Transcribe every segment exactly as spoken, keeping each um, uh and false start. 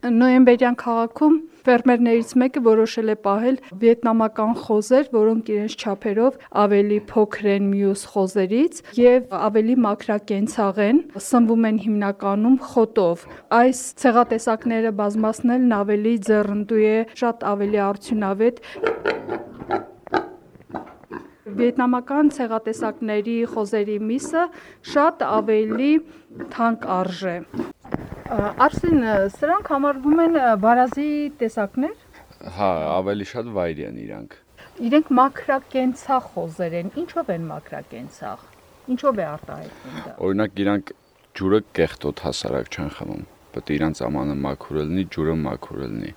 Նոյեմբերյան քաղաքում ֆերմերներից մեկը որոշել է պահել վիետնամական խոզեր, որոնք իրենց չափերով ավելի փոքր են մյուս խոզերից եւ ավելի մաքրակենցաղ են, սնվում են հիմնականում խոտով։ Այս ցեղատեսակները բազմացնելն ավելի ձեռնդու է, շատ ավելի արդյունավետ։ Վիետնամական ցեղատեսակների խոզերի միսը շատ ավելի թանկ արժե։ Արսեն, սրանք համարվում են վարազի տեսակներ։ Հա, ավելի շատ վայրի են իրանք։ Իրենք մաքրակենցաղ խոզեր են։ Ինչով են մաքրակենցաղ։ Ինչով է արտահայտվում դա։ Օրինակ իրանք ջուրը կեղտոտ հասարակ չեն խմում։ Պետք է իրանք ամանը մաքուր լինի, ջուրը մաքուր լինի։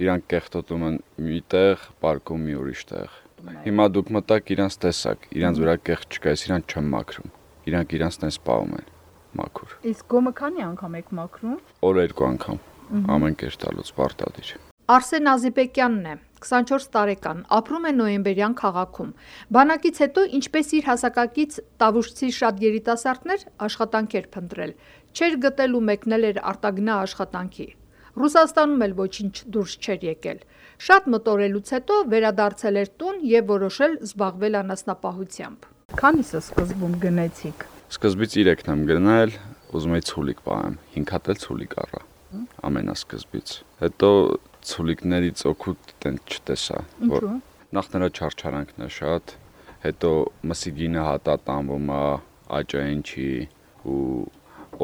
Իրանք կեղտոտում են միտեղ, պարկում մի ուրիշ տեղ։ Հիմա դուք մտաք իրանք տեսակ, իրանք վրա կեղտ չկա, իրանք չեն մաքրում։ Իրանք իրանք տես պահում են մաքուր։ Իսկ գոմը քանի անգամ եք մաքրում։ Օր երկու անգամ։ Ամեն կերտ տալուց պարտադիր։ Արսեն Ազիպեկյանն է, քսանչորս տարեկան, ապրում է Նոյեմբերյան քաղաքում։ Բանակից հետո, ինչպես իր հասակակից տավուշցի շատ երիտասարդներ, աշխատանք էր փնտրել։ Չէր գտել ու մեկնել էր արտագնա աշխատանքի։ Ռուսաստանում էլ ոչինչ դուրս չէր եկել։ Շատ մտորելուց հետո վերադարձել էր տուն եւ որոշել զբաղվել անասնապահությամբ։ Քանիսը սկզբում գնեցիք։ Սկզբից երեքն եմ գնել, ուզում էի ցուլիկ պահեմ, հինգ հատ էլ ցուլիկ առա։ Ամենասկզբից։ Հետո ցուլիկներից օգուտ տեն չտեսա, որ նախ նրա չարչարանքն է շատ, հետո մսի գինը հատա տանվում է, աճային չի ու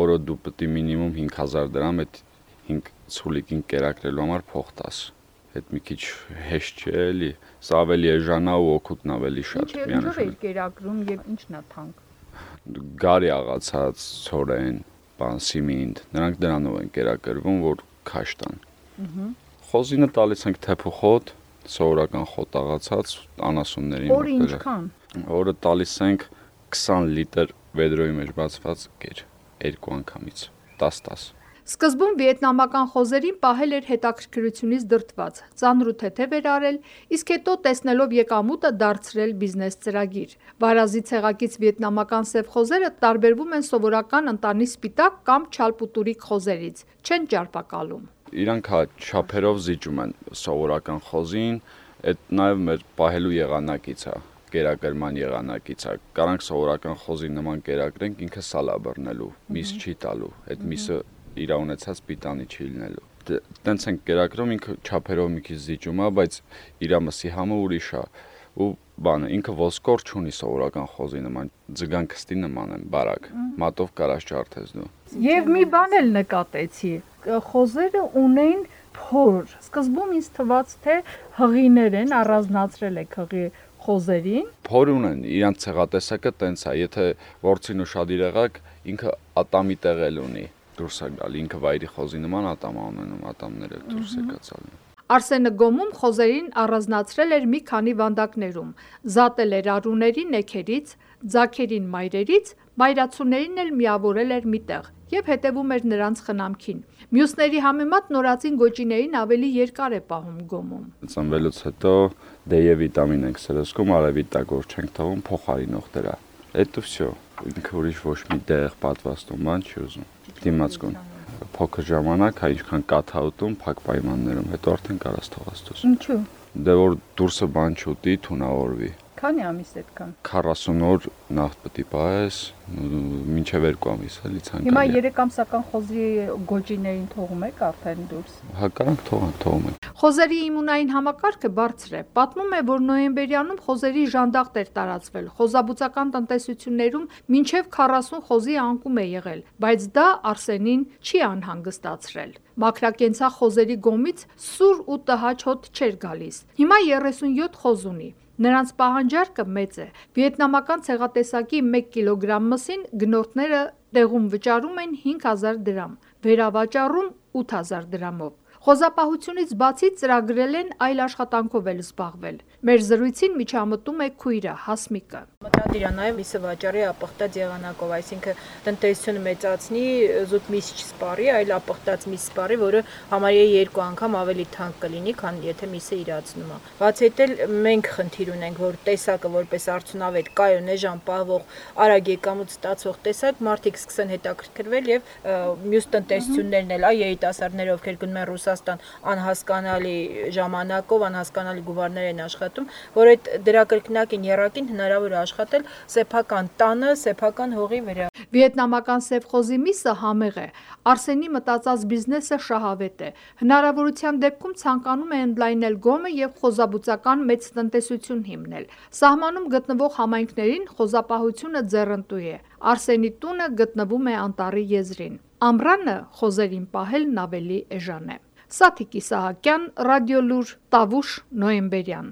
օրը դու պետք է մինիմում հինգ հազար դրամ այդ հինգ ցուլիկին կերակրելու համար փող տաս։ Այդ մի քիչ հեշտ չէ էլի, սա ավելի էժանա ու օգուտն ավելի շատ։ Ինչով է կերակրում եւ ինչն է թանկ։ Գարի աղացած, ցորեն, բան սիմինտ, նրանք դրանով են կերակրվում, որ քաշ տան։ Խոզինը տալիս ենք թեփու խոտ, սովորական խոտ աղացած անասուններին։ Օրը ինչքան։ Օրը տալիս ենք քսան լիտր վեդրոյի մեջ բացված ջուր, երկու անգամից, տաս տաս։ Սկզբում վիետնամական խոզերին պահել էր հետաքրքրությունից դրդված, ծանր ու թեթև էր արել, իսկ հետո տեսնելով եկամուտը դարձրել բիզնես ծրագիր։ Վարազի ցեղակից վիետնամական սև խոզերը տարբերվում են սովորական ընտանի սպիտակ կամ չալպուտուրիկ խոզերից, չեն ճարպակալում։ Իրանք հա չափերով զիջում են սովորական խոզին, այդ նաև մեր պահելու եղանակից է, կերակրման եղանակից է։ Կարանք սովորական խոզի նման կերակրենք, ինքը սալա բռնելու, միս չի տալու, այդ միսը իր ունեցած պիտանի չի լինելու։ Տենց են կերակրում, ինքը չափերով մի քիչ զիջում է, բայց իր մսի համը ուրիշ է։ Ու բանը ինքը ոսկոր չունի սովորական խոզի նման, ձգան քստի նման են, բարակ, մատով կարաս ջարդես դու։ Եվ մի բան էլ նկատեցի, խոզերը ունեն փոր։ Սկզբում ինձ թվաց, թե հղիներ են, առանձնացրել եք հղի խոզերին։ Փոր ունեն, իրանց ցեղատեսակը տենց է, եթե որցին ուշադիր եղաք, ինքը ատամի տեղել ունի։ Դուրս է գալի, ինքը վայրի խոզի նման ատամ է ունենում, ատամները դուրս է գալի։ Արսենը գոմում խոզերին առանձնացրել էր մի քանի վանդակներում, զատել էր արուների նեքերից, ձագերին մայրերից, մայրացուներին էլ միավորել էր միտեղ եւ հետեւում էր նրանց խնամքին։ Մյուսների համեմատ նորածին գոճիներին ավելի երկար է պահում գոմում։ Ծնվելուց հետո դե վիտամին ենք սրսկում, արևի տակ որ չենք թողում, փոխարինող դրա։ Էդ ու վсё։ Ինքը ուրիշ ոչ մի դեղ պատվաստում բան չի ուզում։ Դիմացկուն փոքր ժամանակ, հա ինչքան կաթաուտում, փակ պայմաններում, հետո արդեն կարաս թողած դուրս։ Ինչու։ Դե որ դուրսը բան չուտի, թունավորվի։ Քանի ամիս այդքան։ քառասուն օր նախ պետք է պահես, մինչև երկու ամիս էլի ցանկալի։ Հիմա երեք ամսական խոզի գոճիներին թողում եք արդեն դուրս։ Հա կարանք թողան, թողում ենք։ Խոզերի իմունային համակարգը բարձր է։ Պատմում է, որ նոյեմբերյանում խոզերի ժանդախտ էր տարածվել։ Խոզաբուծական տնտեսություններում մինչև քառասուն խոզի անկում է եղել, բայց դա Արսենին չի անհանգստացրել։ Մաքրակենցաղ խոզերի գոմից սուր ու տհաճ հոտ չէր գալիս։ Հիմա երեսունյոթ խոզ ունի։ Նրանց պահանջարկը մեծ է։ Վիետնամական ցեղատեսակի մեկ կիլոգրամ մսին գնորդները տեղում վճարում են հինգ հազար դրամ, վերավաճառում ութ հազար դրամով։ Խոզապահությունից բացի ծրագրել են այլ աշխատանքով էլ զբաղվել։ Մեր զրույցին միջամտում է քույրը Հասմիկը։ Մտադիր է նաև միսը վաճառի ապխտած եղանակով, այսինքն տնտեսությունը մեծացնի, զուտ միս չսպառի, այլ ապխտած միս սպառի, որը համարյա երկու անգամ ավելի թանկ կլինի, քան եթե միսը իրացնում է։ Բացի այդ էլ մենք խնդիր ունենք, որ տեսակը որպես արդյունավետ կայուն էժան պահվող, արագ եկամուտ ստացող տեսակ մարդիկ սկսեն հետաքրքրվել եւ մյուս տնտեսություններն էլ, այ երիտասարդները, ովքեր գնում են Ռուսաստան անհասկանալի ժամանակով, անհասկանալի գումարներ են աշխատում, որ այդ դրա կրկնակին եռակին հնարավոր է աշխատել սեփական տանը, սեփական հողի վրա։ Վիետնամական սևխոզի միսը համեղ է։ Արսենի մտածած բիզնեսը շահավետ է։ Հնարավորության դեպքում ցանկանում է ընդլայնել գոմը եւ խոզաբուծական մեծ տնտեսություն հիմնել։ Սահմանում գտնվող համայնքներին խոզապահությունը ձեռընտու է։ Արսենի տունը գտնվում է անտառի եզրին։ Ամռանը խոզերին պահելն ավելի էժան է։ Սաթիկ Իսահակյան, Ռադիոլուր, Տավուշ, նոյեմբերյան։